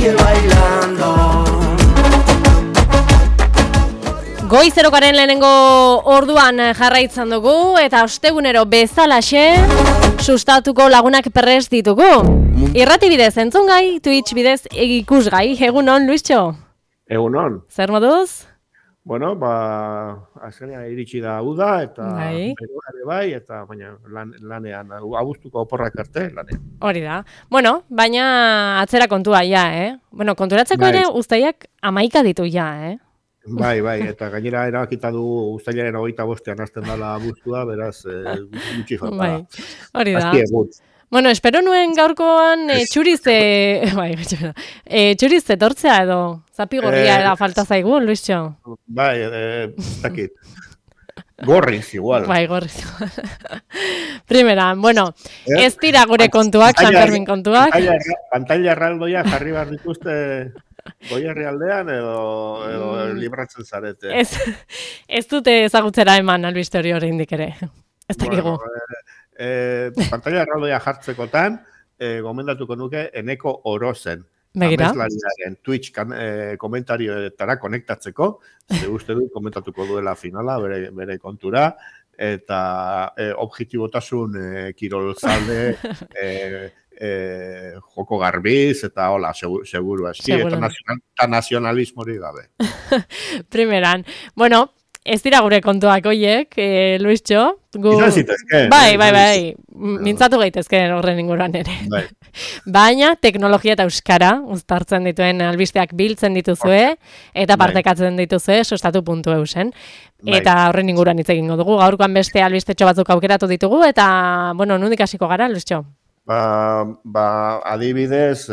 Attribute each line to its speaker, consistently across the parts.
Speaker 1: sigue bailando.
Speaker 2: Goizerokaren lehenengo orduan jarraitzen dugu eta ostegunero bezalaxe sustatuko lagunak prest ditugu. Irrati bidez entzungai, Twitch bidez ikusgai. Egunon, Luistxo?
Speaker 3: Egunon.
Speaker 2: Zer moduz?
Speaker 3: Bueno, azkenean iritsi da uda eta beroare bai, eta baina lanean, abuztuko oporrak arte lanean.
Speaker 2: Hori da. Bueno, baina atzera kontua ja, Bueno, konturatzeko ere uztaiak 11 ditu ja,
Speaker 3: Bai, eta gainera erabakita du uztailaren 25ean hasten dela abuztua, beraz, gutxi falta.
Speaker 2: Bai, hori da. Bueno, espero nuen gaurkoan txuriz etortzea edo zapigorria era falta zaigu, Luistxo.
Speaker 3: Bai, zakit. Gorriz igual.
Speaker 2: Bai, gorriz igual. Primera, bueno, ez dira gure kontuak, San Fermin kontuak.
Speaker 3: Pantalla erraldoia jarri behar dituzte Goierri aldean edo libratzen zarete.
Speaker 2: Ez dute ezagutzera eman albiste hori indik ere. Ez dakigu.
Speaker 3: Pantalla erraldoia jartzekotan, gomendatuko nuke Eneko Orozen.
Speaker 2: Begira.
Speaker 3: Ameslariaren Twitch komentarioetara konektatzeko, ze uste dut komentatuko duela finala, bere kontura, eta objektibotasun kirolzalde, joko garbiz, eta hola, seguru aski, eta nazionalismori gabe.
Speaker 2: Primeran, bueno, ez dira gure kontuak hoiek, Luistxo.
Speaker 3: Izan zitezke.
Speaker 2: Bai, mintzatu gaitezke horren inguruan ere.
Speaker 3: Bai.
Speaker 2: Baina, teknologia eta euskara, uztartzen dituen albisteak biltzen dituzue, eta partekatzen dituzue, sustatu.eusen. Eta horren inguruan hitz egingo dugu, gaurkoan beste albistetxo batzuk aukeratu ditugu, eta, bueno, nondik hasiko gara, Luistxo?
Speaker 3: Adibidez,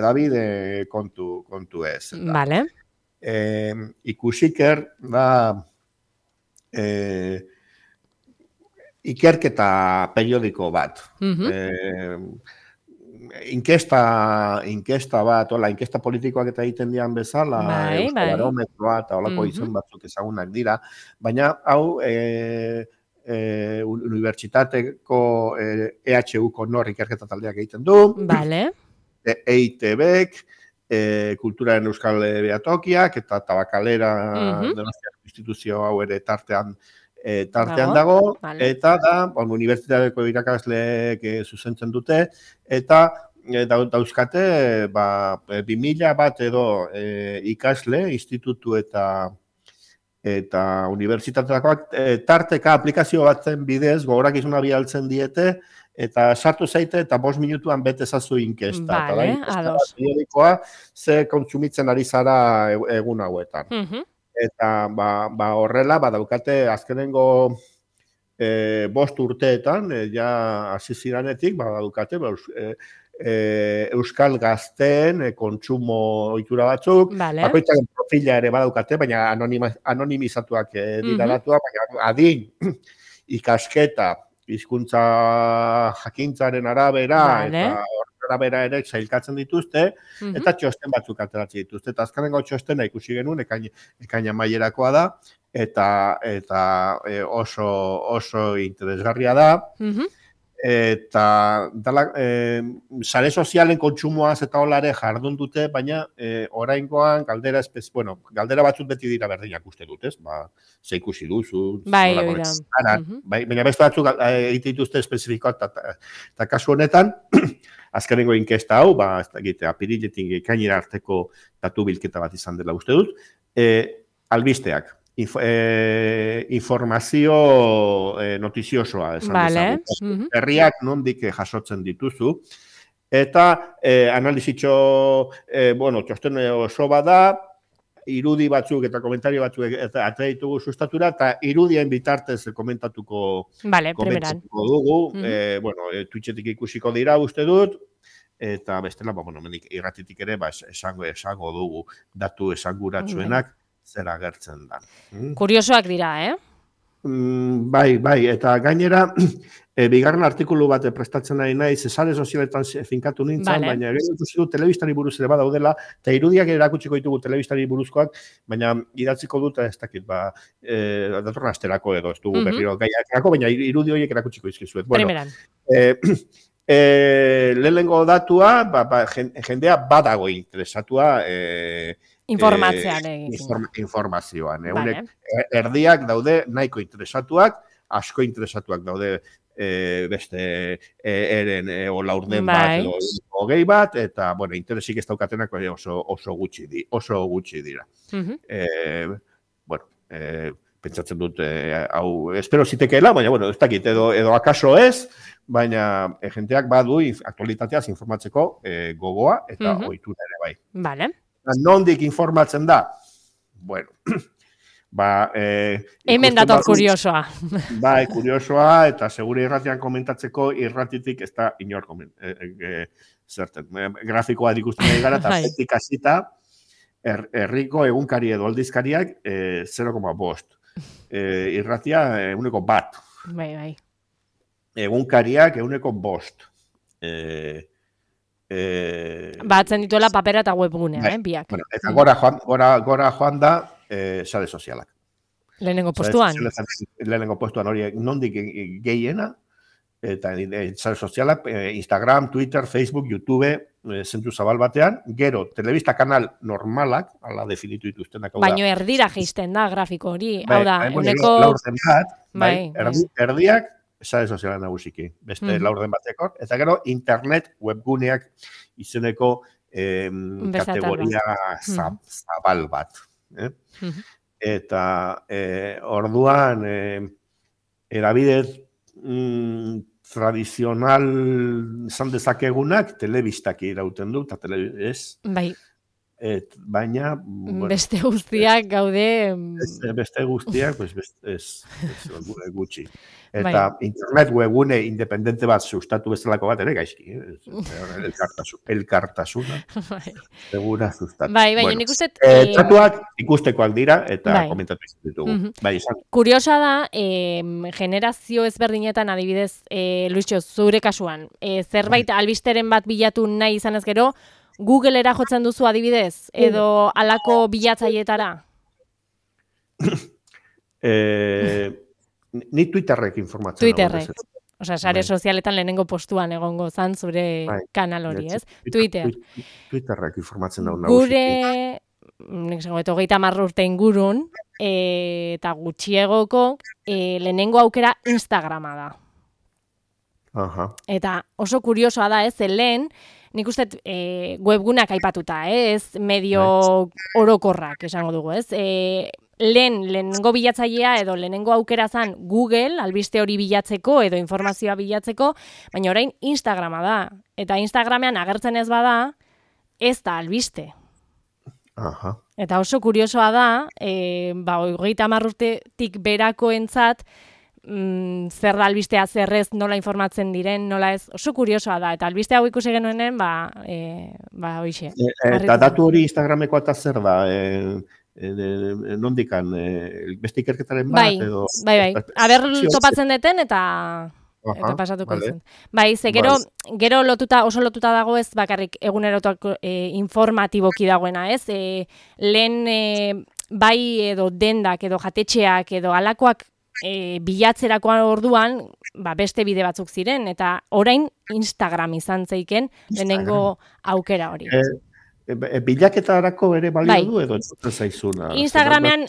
Speaker 3: Davide kontu ez.
Speaker 2: Vale.
Speaker 3: Ikusiker da ikerketa periodiko bat. Inkesta bat, inkesta politikoak eta egiten dian bezala, Euskabarometroa eta holako izen batzuk ezagunak dira, baina hau unibertsitateko EHUko nor ikerketa taldeak egiten du, EITBek, Kulturaren Euskal Behatokiak eta Tabakalera Donostiako instituzio hau ere tartean dago, eta da, unibertsitateko irakasleek zuzentzen dute, eta dauzkate 2000 bat edo ikasle, institutu eta unibertsitateakoak tarteka aplikazio batzen bidez gogorakizuna bialtzen diete, eta sartu zaite eta 5 minutuan bete ezazu inkesta.
Speaker 2: Vale, ados.
Speaker 3: Periodikoa ze kontsumitzen ari zara egun hauetan. Eta horrela, daukate azkenengo 5 urteetan, ja hasi ziranetik, daukate euskal gazteen kontsumo ohitura batzuk, bakoitzaren profila ere badaukate, baina anonimizatuak dira datuak, baina adin, ikasketa, hizkuntza jakintzaren arabera, eta arabera ere sailkatzen dituzte, eta txosten batzuk ateratzen dituzte. Eta azkenengo txostena ikusi genuen, ekaina mailerakoa da, eta oso interesgarria da, eta sare sozialen kontsumoaz eta holare jardun dute, baina oraingoan galdera batzuk beti dira berdinak uste dut, ez? Ze ikusi duzu, baina beste batzuk egite dituzte espezifikoak, eta kasu honetan, azkenengo inkesta hau, apiriletik ekainera arteko datu bilketa bat izan dela uste dut, albisteak. Informazio notiziosoa esan dezagun. Herriak nondik jasotzen dituzu. Eta analizitxo, txosten oso bada, irudi batzuk eta komentario batzuk atera ditugu sustatura, eta irudien bitartez komentatuko dugu. Twitchetik ikusiko dira uste dut, eta bestela, irratitik ere esango dugu datu esanguratsuenak zera gertzen da.
Speaker 2: Kuriosoak dira,
Speaker 3: Bai, eta gainera, bigarren artikulu bat prestatzen nahi naiz, sare sozialetan finkatu nintzen, baina gero ikusi du telebistari buruz ere badaudela, eta irudiak erakutsiko ditugu telebistari buruzkoak, baina idatziko dut, ez dakit, datorren asterako edo, ez dugu berriro gaiak, baina irudi horiek erakutsiko izkizuet. Lehenengo datua, jendea badago interesatua informazioan.
Speaker 2: Vale.
Speaker 3: Erdiak daude nahiko interesatuak, asko interesatuak daude beste eren laurden bat edo hogei bat, eta, bueno, interesik ez daukatenak oso gutxi dira. Bueno, pentsatzen dut, hau, espero zitekeela, baina, bueno, ez dakit, edo akaso ez, baina jenteak badu aktualitateaz informatzeko gogoa eta ohitura ere bai.
Speaker 2: Vale.
Speaker 3: Nondik informatzen da? Bueno,
Speaker 2: hemen dator kuriosoa.
Speaker 3: Bai, kuriosoa, eta segure irratian komentatzeko irratitik ez da inor zerten. Grafikoa ikusten nahi gara, eta zetik hasita herriko egunkari edo aldizkariak 0,5. Irratia 1,1.
Speaker 2: Bai.
Speaker 3: Egunkariak 1,5.
Speaker 2: Batzen dituela papera eta webgunea, biak.
Speaker 3: Bueno, eta gora joan da sare sozialak.
Speaker 2: Lehenengo postuan.
Speaker 3: Lehenengo postuan hori nondik gehiena, eta sare sozialak, Instagram, Twitter, Facebook, YouTube, zentru zabal batean, gero, telebista kanal normalak, ala definitu dituztenak.
Speaker 2: Baina erdira geisten da grafiko hori, hau da, uneko...
Speaker 3: Erdiak, sare soziala nagusiki, beste laurden bateko, eta gero internet webguneak izeneko kategoria zabal bat. Eta orduan erabidez tradizional izan dezakegunak telebistak irauten du, eta ez?
Speaker 2: Bai.
Speaker 3: Baina...
Speaker 2: Beste guztiak gaude...
Speaker 3: Beste guztiak, ez gutxi. Eta internet webgune independente bat sustatu bezalako bat ere gaizki. Elkartasuna. Segura sustatu.
Speaker 2: Bai, nik uste...
Speaker 3: Txatuak ikustekoak dira eta komentatu izan ditugu.
Speaker 2: Kuriosa da, generazio ezberdinetan adibidez, Luisio, zure kasuan, zerbait albisteren bat bilatu nahi izanez gero, Google-era jotzen duzu adibidez, edo alako bilatzaietara?
Speaker 3: Ni Twitterrek informatzen.
Speaker 2: Twitterrek. Osea, sare sozialetan lehenengo postuan egongo zan zure kanal hori, ez?
Speaker 3: Twitterrek informatzen dago.
Speaker 2: Gure, nik zango, 30 urte ingurun, eta gutxiegoko, lehenengo aukera Instagrama da. Eta oso kuriosoa da, ez? Lehen, nik uste webgunak aipatuta, ez? Medio orokorrak, esango dugu, ez? Lehenengo bilatzailea edo lehenengo aukera zan Google, albiste hori bilatzeko edo informazioa bilatzeko, baina orain Instagrama da. Eta Instagramean agertzen ez bada, ez da albiste. Eta oso kuriosoa da, 30 urtetik berakoentzat, zer da albistea, zer ez, nola informatzen diren, nola ez, oso kuriosoa da, eta albiste hau ikusi genuenen, hoixe.
Speaker 3: Eta datu hori Instagramekoa eta zer da, nondikan, beste ikerketaren bat, edo...
Speaker 2: Bai, aber topatzen deten, eta pasatuko zen. Bai, ze gero oso lotuta dago ez bakarrik egunerotako informatiboki dagoena, ez? Lehen bai edo dendak, edo jatetxeak, edo alakoak bilatzerakoan orduan, beste bide batzuk ziren, eta orain Instagram izan zeiken lehenengo aukera hori.
Speaker 3: Bilaketarako ere balio du edo zaizuna?
Speaker 2: Instagramean...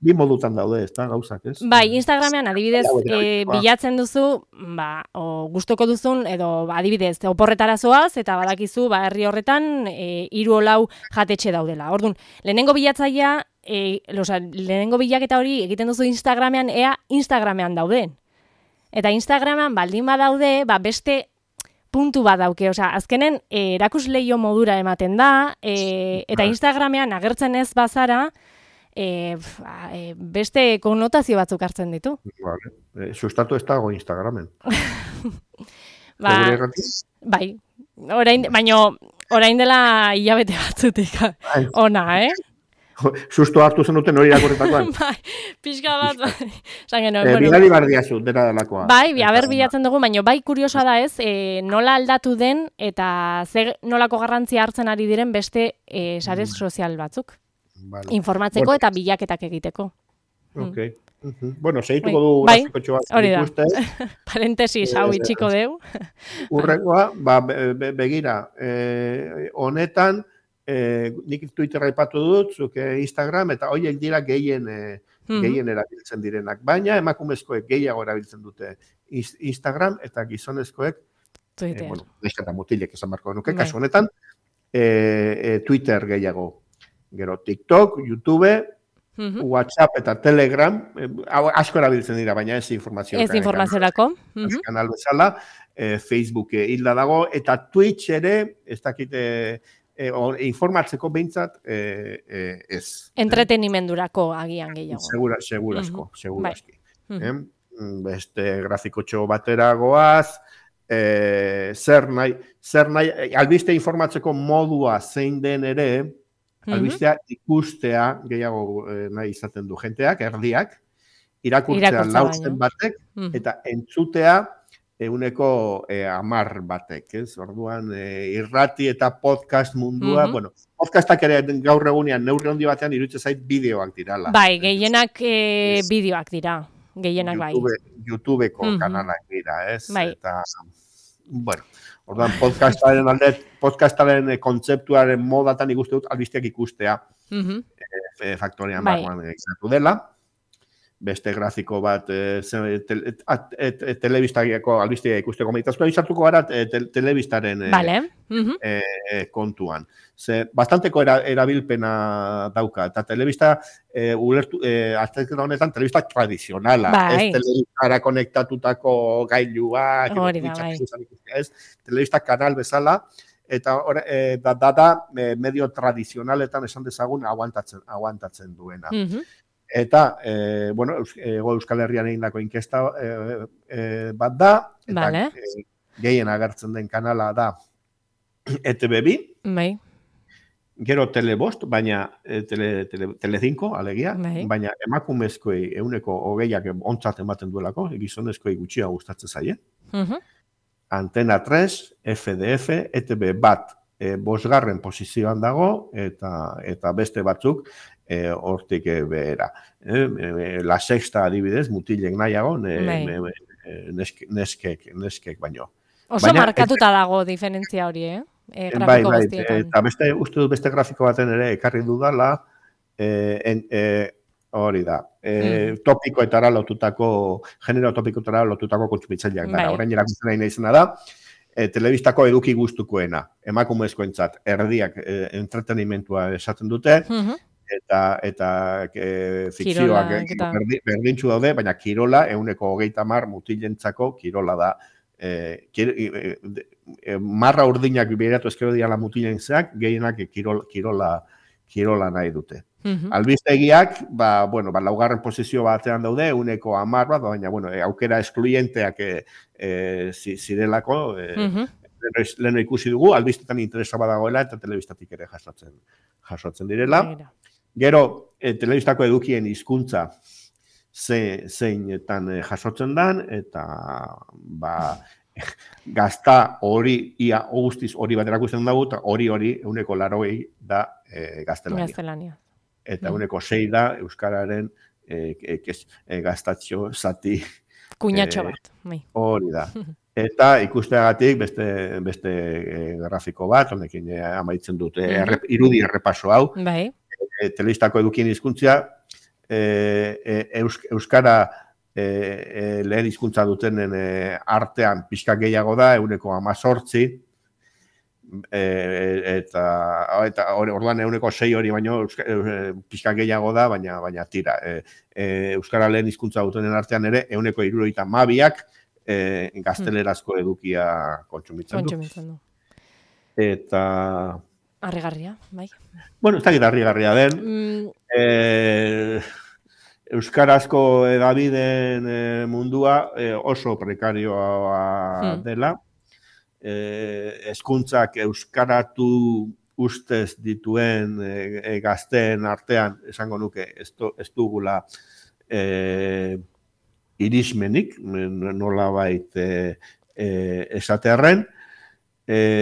Speaker 3: Bi modutan daude, ez da, gauzak, ez?
Speaker 2: Bai, Instagramean adibidez bilatzen duzu, gustoko duzun, edo adibidez, oporretara zoaz, eta badakizu, herri horretan, 3-4 jatetxe daudela. Orduan, lehenengo bilatzailea, lehenengo bilaketa hori egiten duzu Instagramean, ea Instagramean dauden. Eta Instagramean baldin badaude, beste puntu bat dauke, azkenen erakusleio modura ematen da, eta Instagramean agertzen ez bazara, beste konnotazio batzuk hartzen ditu.
Speaker 3: Sustatu ez dago Instagramen.
Speaker 2: Bai, baina orain dela hilabete batzutik ona,
Speaker 3: Susto hartu zenuten hori irakurretakoan.
Speaker 2: Bai, pixka bat.
Speaker 3: Bidali bardiazu, dena delakoa.
Speaker 2: Bai, bilatzen dugu, baina bai kuriosoa da ez, nola aldatu den eta nolako garrantzia hartzen ari diren beste sare sozial batzuk. Informatzeko eta bilaketak egiteko.
Speaker 3: Bueno, segituko du grafikotxo bat ikuste.
Speaker 2: Parentesis hau itxiko deu.
Speaker 3: Urrengoa, begira, honetan, nik Twitterra aipatu dut, zuke Instagram, eta horiek dira gehien erabiltzen direnak. Baina emakumezkoek gehiago erabiltzen dute Instagram, eta gizonezkoek, bueno, neskata mutilek esan barko nuke, kasu honetan, Twitter gehiago. Gero TikTok, YouTube, WhatsApp eta Telegram, asko erabiltzen dira, baina ez informazioa.
Speaker 2: Ez informaziorako.
Speaker 3: Kanal bezala, Facebook hilda dago, eta Twitch ere, ez dakite, informatzeko behintzat, ez.
Speaker 2: Entretenimendurako agian gehiago.
Speaker 3: Seguraski. Beste grafikotxo batera goaz, zer nahi, albiste informatzeko modua zein den ere, albistea ikustea gehiago nahi izaten du jenteak, erdiak, irakurtzea lauzen batek, eta entzutea euneko 10 batek, ez? Orduan, irrati eta podcast mundua, bueno, podcastak ere gaur egunean neurri handi batean iruditzen zait bideoak dirala.
Speaker 2: Bai, gehienak bideoak dira, gehienak bai.
Speaker 3: YouTubeko kanalak dira, ez?
Speaker 2: Bai.
Speaker 3: Eta, bueno, orduan, podcastaren kontzeptuaren modatan ikuste dut albisteak ikustea faktorian barruan egizatu dela. Beste grafiko bat telebistagiako albistea ikusteko meditazkoa izartuko gara telebistaren kontuan. Bastanteko erabilpena dauka, eta telebista azterketa honetan telebista tradizionala, ez telebistara konektatutako gailuak, telebista kanal bezala, eta da medio tradizionaletan esan dezagun aguantatzen duena. Eta, bueno, Euskal Herrian egindako inkesta bat da, eta gehien agertzen den kanala da ETB2, gero Telebost, baina Tele5, alegia, baina emakumezkoei euneko 20ak ontzat ematen duelako, gizonezkoei gutxia gustatzen zaie. Antena 3, FDF, ETB bat 5. posizioan dago, eta beste batzuk hortik behera. La Sexta adibidez, mutilek nahiago, neskek baino.
Speaker 2: Oso markatuta dago diferentzia hori, grafiko guztietan.
Speaker 3: Eta uste dut beste grafiko baten ere ekarri dudala, hori da, topikoetara lotutako, genero topikoetara lotutako kontsumitzaileak dara. Orain erakusten nahi izena da, telebistako eduki gustukoena, emakumezkoentzat erdiak entretenimentua esaten dute, eta fikzioak berdintzu daude, baina kirola, euneko 30 mutilentzako kirola da. Marra urdinak beratu ezkero diala mutilentzeak, gehienak kirola nahi dute. Albistegiak, laugarren posizio batean daude, euneko 10 bat, baina aukera eskluyenteak zirelako, leheno ikusi dugu, albistetan interesa badagoela, eta telebistatik ere jasotzen direla. Gero, telebistako edukien hizkuntza zeinetan jasotzen dan, eta gazta hori, ia guztiz hori bat erakusten dugu, eta hori euneko 80 da gaztelania. Eta euneko 6 da Euskararen gaztatxo zati.
Speaker 2: Kuñatxo bat.
Speaker 3: Hori da. Eta ikusteagatik beste grafiko bat, honekin amaitzen dut, irudi errepaso hau.
Speaker 2: Bai.
Speaker 3: Telebistako edukien hizkuntzia, Euskara lehen hizkuntza dutenen artean pixka gehiago da, euneko 18, eta orduan euneko 6 hori baino pixka gehiago da, baina tira. Euskara lehen hizkuntza dutenen artean ere, euneko 72ak gaztelerazko edukia kontsumitzen du. Eta...
Speaker 2: Harrigarria, bai.
Speaker 3: Bueno, ez dakit harrigarria den. Euskarazko edabideen mundua oso prekarioa dela. Hezkuntzak euskaratu ustez dituen gazteen artean, esango nuke, ez dugula irismenik, nolabait esatearren,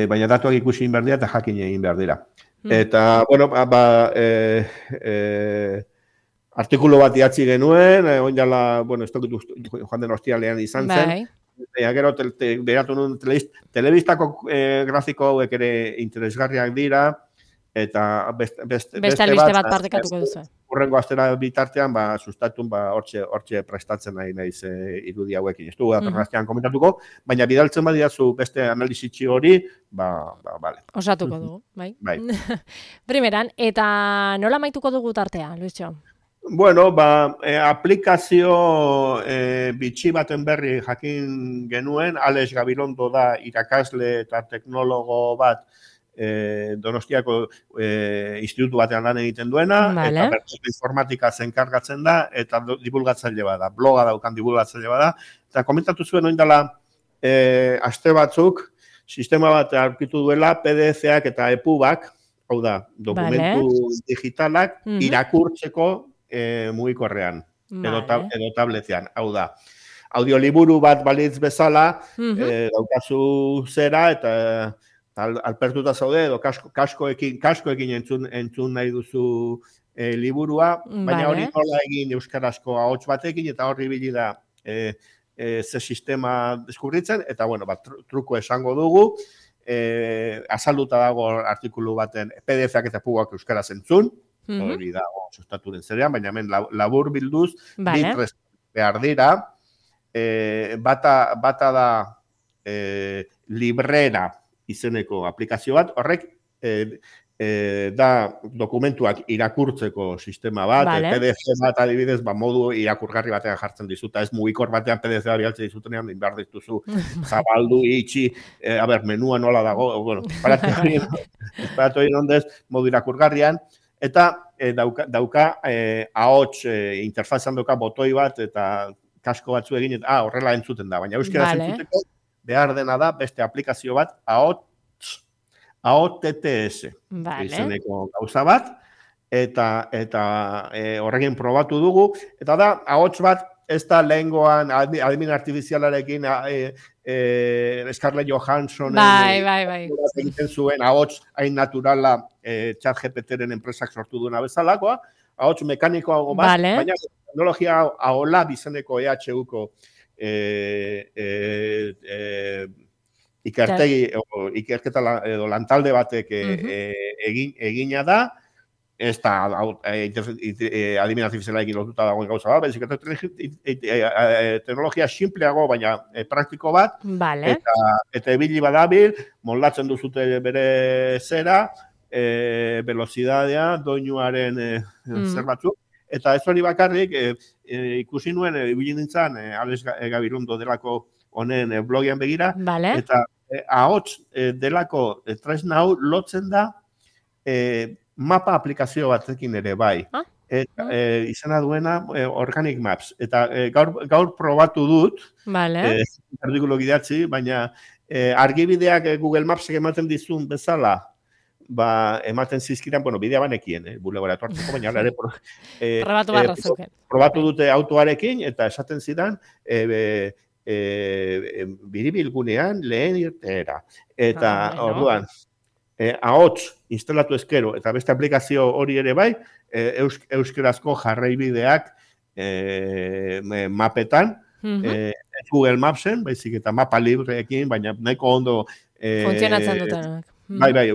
Speaker 3: baina datuak ikusi egin behar dira eta jakin egin behar dira. Eta, bueno, artikulu bat idatzi genuen, oin dela, bueno, ez tokitu joan den ostialean izan zen, gero beratu nuen telebistako grafiko hauek ere interesgarriak dira, eta
Speaker 2: beste albiste bat partekatuko duzu.
Speaker 3: Urrengo astera bitartean, sustatun, hortxe prestatzen nahi naiz irudi hauekin. Ez dugu datorren komentatuko, baina bidaltzen badiazu beste analizitxi hori, bale.
Speaker 2: Osatuko dugu, bai. Primeran, eta nola maituko dugu tartea, Luisio?
Speaker 3: Bueno, aplikazio bitxi baten berri jakin genuen, Alex Gabilondo da irakasle eta teknologo bat Donostiako institutu batean lan egiten duena, eta bertako informatika zenkargatzen da, eta divulgatzaile bada, bloga daukan divulgatzaile bada, eta komentatu zuen oindala aste batzuk, sistema bat aurkitu duela PDF-ak eta EPUB-ak, hau da, dokumentu digitalak irakurtzeko mugikorrean, edo tabletean, hau da. Audioliburu bat balitz bezala, daukazu zera, eta alpertuta zaude, edo kaskoekin entzun nahi duzu liburua, baina hori nola egin euskarazko ahots batekin, eta horri bili da ze sistema deskubritzen, eta bueno, truko esango dugu, azalduta dago artikulu baten PDF-ak eta EPUB-ak euskaraz entzun, hori da, sustaturen zerean, baina hemen labur bilduz, bitrez behar dira, bata da librera izeneko aplikazio bat, horrek da dokumentuak irakurtzeko sistema bat, PDF bat adibidez, modu irakurgarri batean jartzen dizuta, ez mugikor batean PDF bat bialtzen dizutenean, behar dituzu, zabaldu, itxi, menua nola dago, bueno, paratu egin ondez, modu irakurgarrian, eta dauka ahots interfazan dauka botoi bat, eta kasko batzu egin, horrela entzuten da, baina euskera entzuteko, behar dena da, beste aplikazio bat, AOTTS, izeneko gauza bat, eta horrekin probatu dugu, eta da, ahots bat, ez da lehengoan adimen artifizialarekin Scarlett Johansson egiten zuen ahots hain naturala ChatGPT-ren enpresak sortu duena bezalakoa, ahots mekanikoago bat, baina teknologia ahola bizeneko EHU-ko ikerketa edo lantalde batek egina da, ez da adimen artifizialarekin lotuta dagoen gauza bat, baizik teknologia simpleago, baina praktiko bat, eta ebili badabil, moldatzen duzute bere zera, velozidadea, doinuaren zer batzuk, eta ez hori bakarrik, ikusi nuen, ibili nintzen, Alex Gabilondo delako honen blogian begira, eta ahots delako tresna hau lotzen da mapa aplikazio batekin ere bai. Izena duena Organic Maps. Eta gaur probatu dut, artikulu gidatzi, baina argibideak Google Mapsek ematen dizun bezala, ematen zizkiran, bidea banekien, bulegora etortzeko, baina ere probatu dute autoarekin, eta esaten zidan, biribilgunean lehen irteera. Eta orduan, ahots instalatu ezkero, eta beste aplikazio hori ere bai, euskerazko jarraibideak mapetan, Google Mapsen, baizik eta mapa libreekin, baina nahiko ondo
Speaker 2: funtzionatzen dutenak.
Speaker 3: Bai,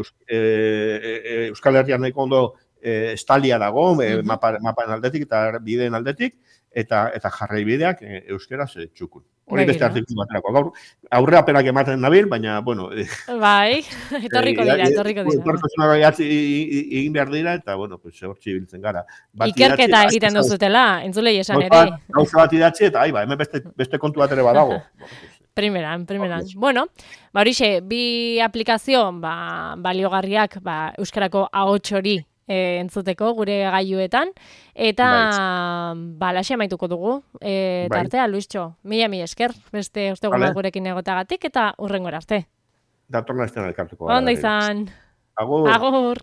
Speaker 3: Euskal Herrian nahiko ondo estalia dago, mapan aldetik eta bideen aldetik, eta jarraibideak euskeraz txukun. Hori beste artikulu baterako. Gaur, aurreapenak ematen nabil, baina, bueno...
Speaker 2: Bai, etorriko dira.
Speaker 3: Etorko egin behar dira, eta, bueno, hortzi biltzen gara.
Speaker 2: Ikerketa egiten duzutela, entzulei esan ere.
Speaker 3: Gauza bat idatzi, eta hemen beste kontu bat ere badago.
Speaker 2: Primeran. Bueno, horixe, bi aplikazio baliogarriak euskarako ahots hori entzuteko gure gailuetan, eta laxe amaituko dugu tartea, Luisio. Mila esker, beste ostegun bat gurekin egotagatik, eta hurrengora arte.
Speaker 3: Datorna ez den elkartuko.
Speaker 2: Ondo izan.
Speaker 3: Agur.